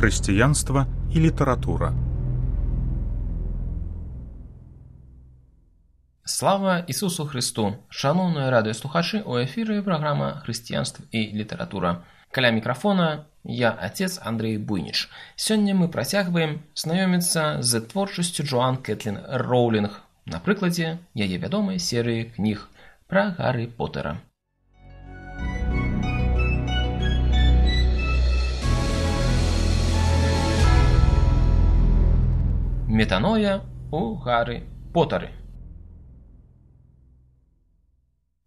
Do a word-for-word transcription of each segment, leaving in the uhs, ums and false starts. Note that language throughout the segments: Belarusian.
Хрысціянства і літаратура. Слава Ісусу Христу! Шановні радыёслухачы, у эфіры праграма «Хрысціянства і літаратура». Каля мікрафона я, отец Андрей Буйніч. Сёння мы працягваем знаёміцца з творчасцю Джоан Кэтлін Роўлінг на прыкладзе яе вядомай серыі кніг пра Гаррі Поттера. Метаноя у Гаррі Поттары.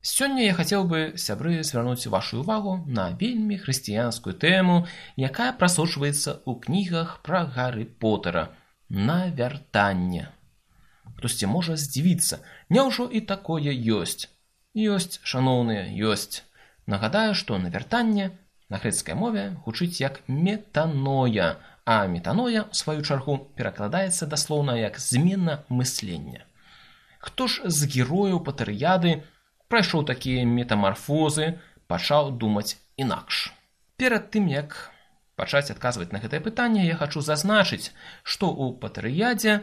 Сёння я хацеў бы, сябры, звярнуць вашу ўвагу на вельмі хрысціянскую тэму, якая прасочваецца ў кнігах пра Гаррі Поттера – навяртанне. Хтосьці можа здзівіцца, няўжо і такое ёсць? Ёсць, шаноўныя, ёсць. Нагадаю, што навяртанне на грэцкай мове гучыць як метаноя, а метаноя, у сваю чаргу, перакладаецца даслоўна як змена мыслення. Хто ж з герояў Патэрыяды прайшоў такія метамарфозы, пачаў думаць інакш? Перад тым, як пачаць адказваць на гэтае пытанне, я хачу зазначыць, што ў Патэрыядзе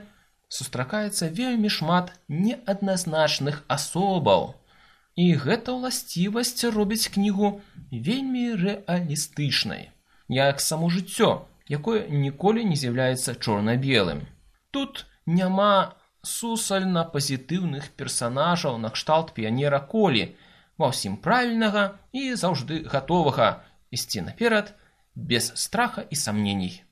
сустракаецца вельмі шмат неадназначных асобаў. І гэта ўласцівасць робіць кнігу вельмі рэалістычнай, як само жыццё, якое ніколі не з'яўляецца чорна-белым. Тут няма сусальна пазітыўных персанажаў накшталт піянера Колі, ва ўсім правільнага і заўжды гатовага ісці наперад без страха і самненій.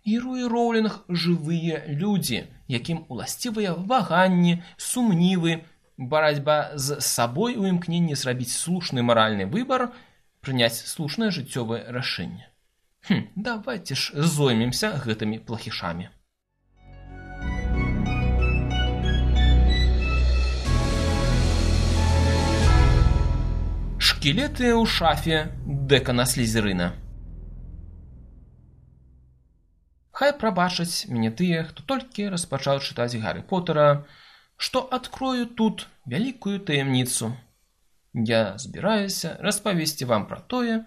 Героі Роўлінг – жывыя людзі, якім уласцівыя ваганні, сумнівы, барацьба з сабой у імкненні зрабіць слушны маральны выбар, прыняць слушнае жыццёвае рашэнне. Хм, давайце ж зоймемся гэтымі плахішамі. Шкілеты ў шафе дэкана Слізерына. Хай прабачаць мяне тыя, хто толькі распачаў чытаць Гаррі Поттера, што адкрою тут вялікую таямніцу. Я збіраюся распавесці вам пра тое,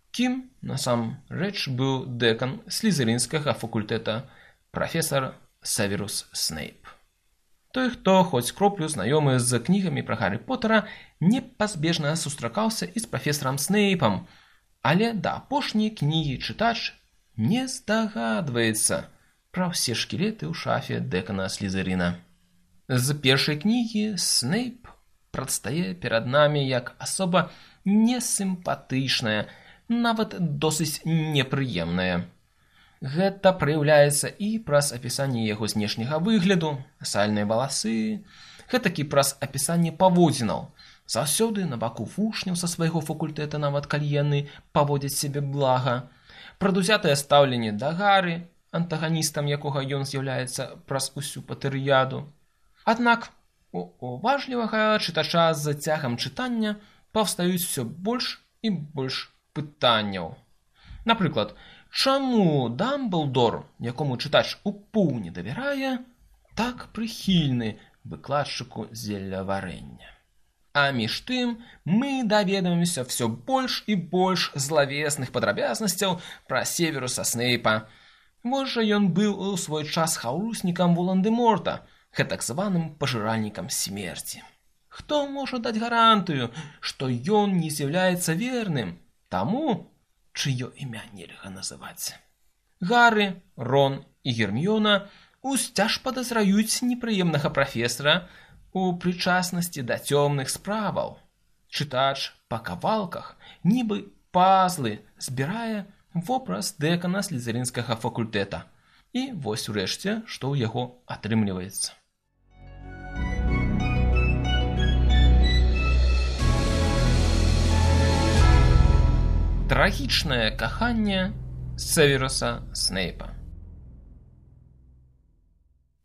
кім насамрэч быў дэкан слізерынскага факультэта прафесар Северус Снейп. Той, хто хоць кроплю знаёмы з кнігамі пра Гаррі Поттера, непазбежна сустракаўся і з прафесарам Снейпам, але да апошняй кнігі чытач не здагадваецца пра ўсе шкілеты ў шафе дэкана Слізерына. З першай кнігі Снейп прадстае перад намі як асоба несімпатычная, нават досыць непрыемная. Гэта праяўляецца і праз апісанне яго знешняга выгляду, сальныя валасы, гэтакі праз апісанне паводзінаў. Заўсёды на баку вучняў са свайго факультэта, нават калі яны паводзяць сябе блага. Прадузятае стаўленне да Гарры, антаганістам якога ён з'яўляецца праз усю Патэрыяду. Аднак у уважлівага чытача з цягам чытання паўстаюць усё больш і больш пытанняў. Напрыклад, чаму Дамблдор, якому чытач у поўні давярае, так прыхільны выкладчыку зелляварэння? А між тым мы даведаемся ўсё больш і больш злавесных падрабязнасцяў пра Северуса Снейпа. Можа, ён быў у свой час хаўруснікам Волан-дэ-Морта, гэтак званым пажыральнікам смерці. Хто можа даць гарантыю, што ён не з'яўляецца верным таму, чыё імя нельга называць? Гарры, Рон і Герміёна усцяж падазраюць непрыемнага прафесара у прычаснасці да цёмных справаў. Чытач па кавалках, нібы пазлы, збірае вобраз дэкана слізерынскага факультэта. І вось урэшце, што ў яго атрымліваецца. Трагічнае каханне Северуса Снейпа.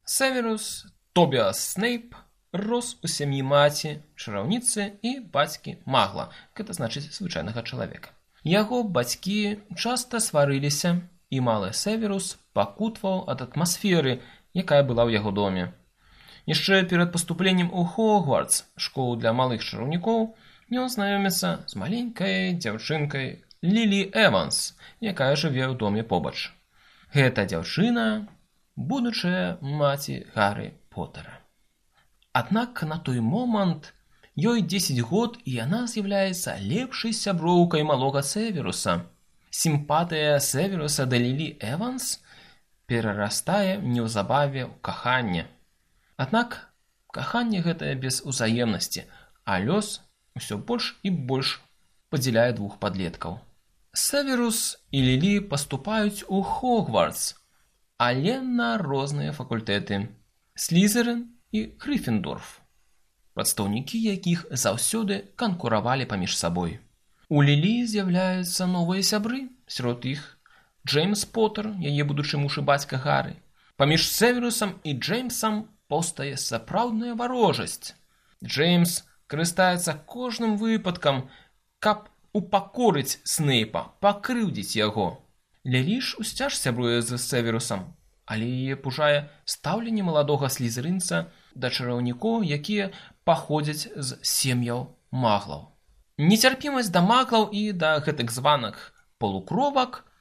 Северус Тобіас Снейп рос у сям'і маці, чараўніцы і бацькі магла, гэта значыць звычайнага чалавека. Яго бацькі часта сварыліся, і малы Северус пакутваў ад атмасферы, якая была ў яго доме. Яшчэ перад паступленнем у Хогвартс, школу для малых чараўнікоў, ён знаёміцца з маленькай дзяўчынкай Лілі Эванс, якая жыве ў доме побач. Гэта дзяўчына, будучая маці Гарры Поттера. Аднак на той момант ёй дзесяць год, і яна з'яўляецца лепшай сяброўкай малога Северуса. Сімпатыя Северуса да Лілі Эванс перарастае неўзабаве ў каханне. Аднак каханне гэтае без узаемнасці, а лёс усё больш і больш падзяляе двух падлеткаў. Северус і Лілі паступаюць у Хогвартс, але на розныя факультэты – Слізерин і Грыффіндорф, прадстаўнікі якіх заўсёды канкуравалі паміж сабой. У Лілі з'яўляюцца новыя сябры, сярод іх Джеймс Поттер, яе будучы муж і бацька Гары. Паміж Северусам і Джеймсам паўстае сапраўдная варожасць. Джеймс карыстаецца кожным выпадкам, каб упакорыць Снейпа, пакрыўдзіць яго. Лілі ж усцяж сябруе з Северусам, але яе пужае стаўленне маладога слізерынца да чараўнікоў, якія паходзяць з сем'яў маглаў. Нецярпімасць да маглаў і да гэтак званых полукровак –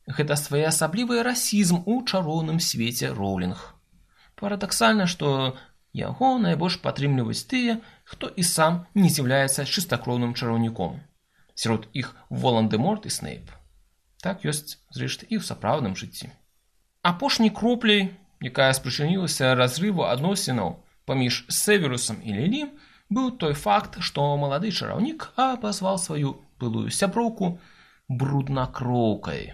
гэта своеасаблівы расізм у чароўным свеце Роўлінг. Парадаксальна, што яго найбольш падтрымліваюць тыя, хто і сам не з'яўляецца чыстакроўным чараўніком. Сярод іх Волан-дэ-Морт і Снейп. Так ёсць, зрэшты, і ў сапраўдным жыцці. Апошняй кропляй, якая спрычынілася разрыву адносінаў паміж Северусам і Лілі, быў той факт, што малады чараўнік абазваў сваю былую сяброўку бруднакроўкай.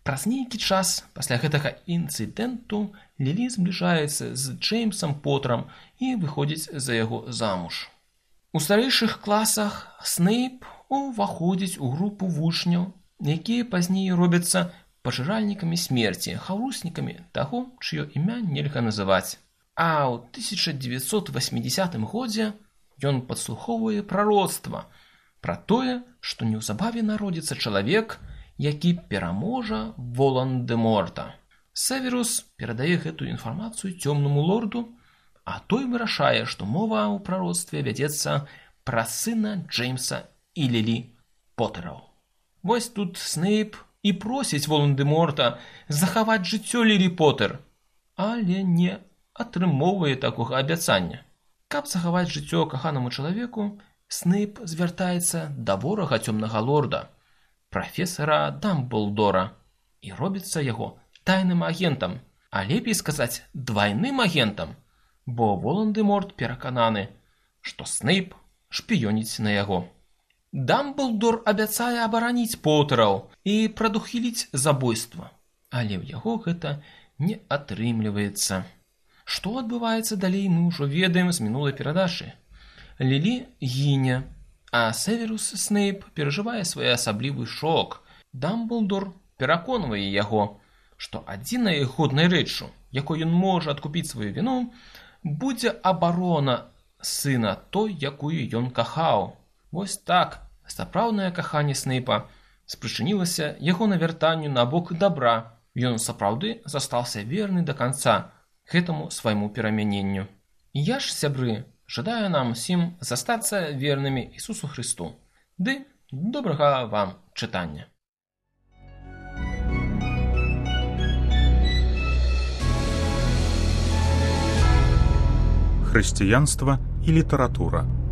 Праз нейкі час пасля гэтага інцыдэнту Лілі збліжаецца з Джеймсам Поттерам і выходзіць за яго замуж. У старэйшых класах Снейп уваходзіць у групу вучняў, якія пазней робяцца пажыральнікамі смерці, хаўруснікамі таго, чыё імя нельга называць. А ў тысяча дзевяцьсот васьмідзесятым годзе ён падслухоўвае прароцтва пра тое, што неўзабаве народзіцца чалавек, які пераможа Волан-дэ-Морта. Северус перадае гэтую інфармацыю цёмнаму лорду, а той вырашае, што мова ў прароцтве вядзецца пра сына Джеймса і Лілі Поттераў. Вось тут Снейп і просіць Волан-дэ-Морта захаваць жыццё Лілі Поттер, але не атрымоўвае такога абяцання. Каб захаваць жыццё каханаму чалавеку, Снейп звяртаецца да ворага цёмнага лорда, прафесара Дамблдора, і робіцца яго тайным агентам, а лепей сказаць двайным агентам, бо Волан-дэ-Морт перакананы, што Снейп шпіёніць на яго. Дамблдор абяцае абараніць Поттераў і прадухіліць забойства, але ў яго гэта не атрымліваецца. Што адбываецца далей, мы ўжо ведаем з мінулай перадачы. Лілі гіне, а Северус Снейп перажывае своеасаблівы шок. Дамблдор пераконвае яго, што адзінай годнай рэччу, якой ён можа адкупіць сваю віну, будзе абарона сына той, якую ён кахаў. Вось так, сапраўднае каханне Снейпа спрычынілася яго навяртанню на бок дабра. Ён сапраўды застаўся верны да канца гэтаму свайму перамяненню. Я ж, сябры, жадаю нам усім застацца вернымі Ісусу Христу. Ды добрага вам чытання. Хрысціянства і літаратура.